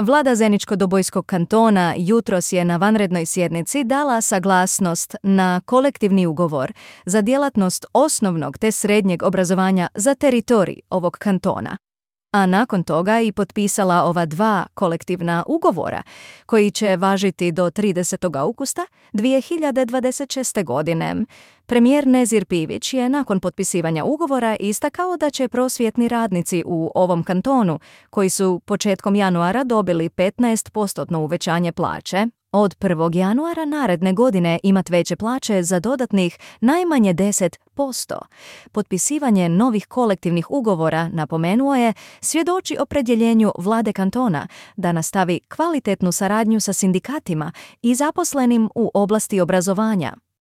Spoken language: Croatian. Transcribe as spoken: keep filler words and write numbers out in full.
Vlada Zeničko-Dobojskog kantona jutros je na vanrednoj sjednici dala saglasnost na kolektivni ugovor za djelatnost osnovnog te srednjeg obrazovanja za teritorij ovog kantona, a nakon toga i potpisala ova dva kolektivna ugovora koji će važiti do tridesetog augusta dvije hiljade dvadeset šeste. godine. Premijer Nezir Pivić je nakon potpisivanja ugovora istakao da će prosvjetni radnici u ovom kantonu, koji su početkom januara dobili petnaest posto uvećanje plaće, od prvog januara naredne godine imat veće plaće za dodatnih najmanje deset posto. Potpisivanje novih kolektivnih ugovora, napomenuo je, svjedoči opredjeljenju vlade kantona da nastavi kvalitetnu saradnju sa sindikatima i zaposlenim u oblasti obrazovanja.